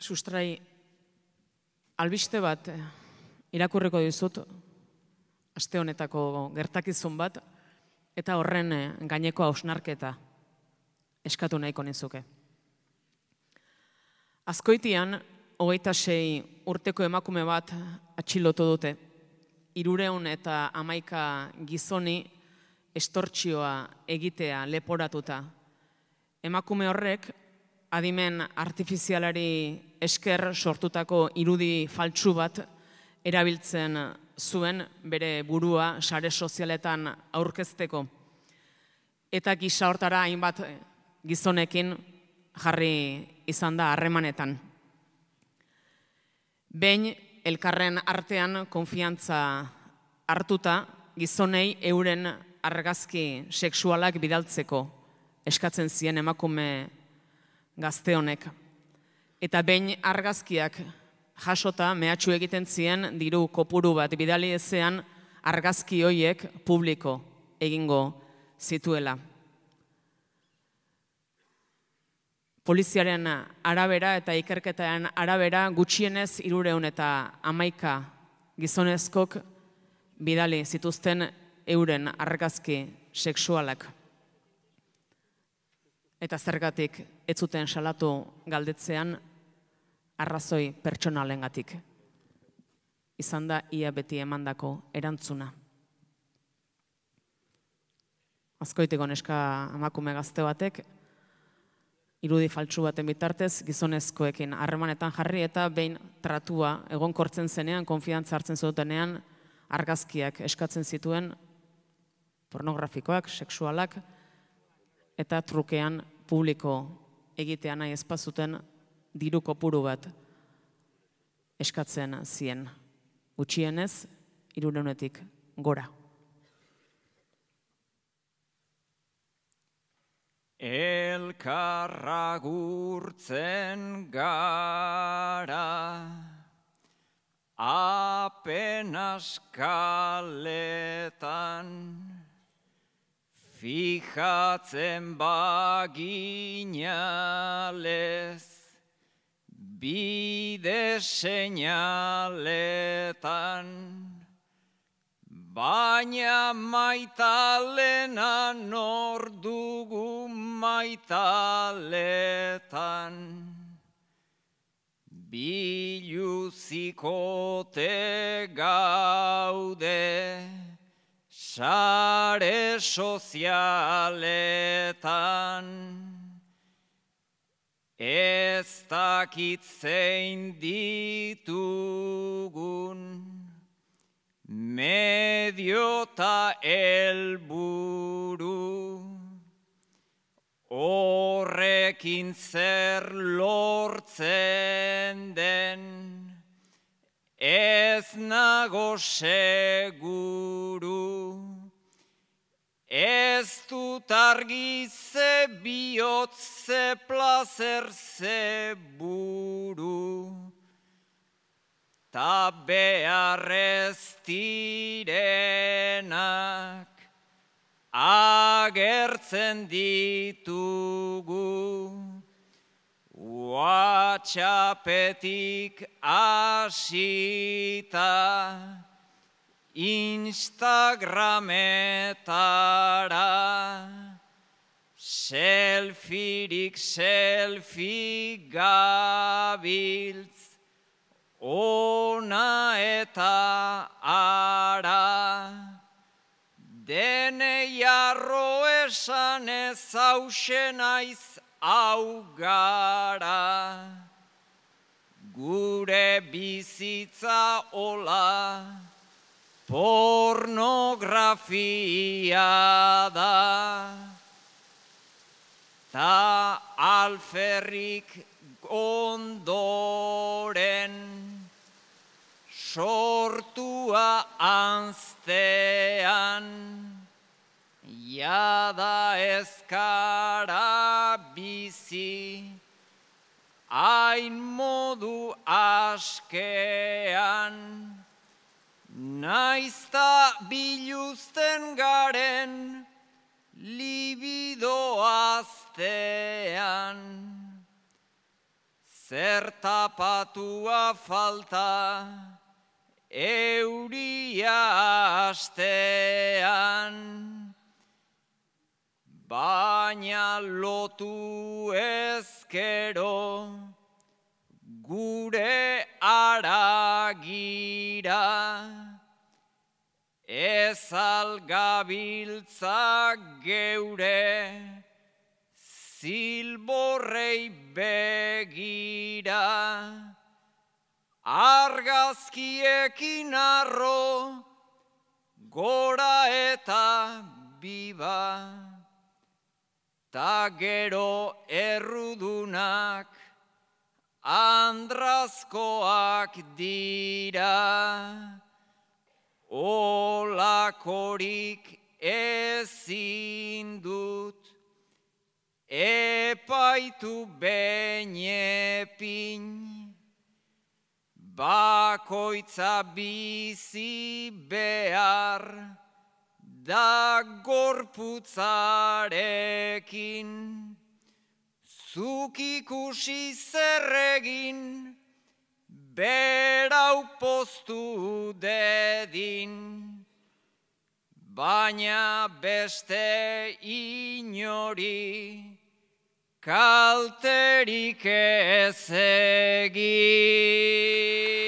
Sustrai, albiste bat irakurriko dizut, aste honetako gertakizun bat, eta horren gaineko hausnarketa eskatu nahiko nizuke. Azkoitian, 26 urteko emakume bat atxilotu dute. 311 gizoni estortsioa egitea leporatuta. Emakume horrek, adimen artifizialari esker sortutako irudi faltsu bat erabiltzen zuen bere burua sare sozialetan aurkezteko. Eta gisa hortara hainbat gizonekin jarri izan da harremanetan. Behin elkarren artean konfiantza hartuta gizonei euren argazki sexualak bidaltzeko eskatzen zien emakume gazte honek. Eta behin argazkiak jasota mehatxu egiten zien diru kopuru bat bidali ezean argazki hoiek publiko egingo zituela. Poliziaren arabera eta ikerketaren arabera gutxienez 311 gizonezkok bidali zituzten euren argazki sexualak. Eta zergatik ez zuten salatu galdetzean arrazoi pertsonalengatik. Izan da ia beti emandako erantzuna. Azkoitiko neska emakume gazte batek irudi faltsu baten bitartez gizonezkoekin harremanetan jarri eta behin tratua egonkortzen zenean, konfiantza hartzen zutenean, argazkiak eskatzen zituen pornografikoak, sexualak, eta trukean publiko egitea nahi ezpazuten diru kopuru bat eskatzen zien. Gutxienez, 300-etik gora. Elkarra gurtzen gara, apenas kaletan, fijatzen baginalez, bide seinaletan, baina maitalena nor dugu maitaletan. Biluzikote gaude sare sozialetan, ez dakit zein ditugun medio ta helburu, horrekin zer lortzen den, ez nago seguru, ez dut argi ze bihotz, ze plazer, ze buru, ta beharrez direnak agertzen ditugu, WhatsAppetik hasita Instagrametara, selfirik selfie gabiltz, ona eta ara, denei arro esan ez hause naiz hau gara, gure bizitza hola pornografia da, ta alferrik ondoren sortua anztean, jada ezkara bizi, hain modu askean, naizta biluzten garen libido aztean. zertapatua falta, euria astean, baina lotu ezkero, gure aragira, ez algabiltza geure, zilborrei begira, argazkiekin arro, gora eta biba, ta gero errudunak, andrazkoak dira, olakorik ezin dut, epaitu benepin, bakoitza bizi behar, da gorputzarekin, zuk ikusi zerregin, berau poztu dedin, baina beste inori, kalterik ez egin.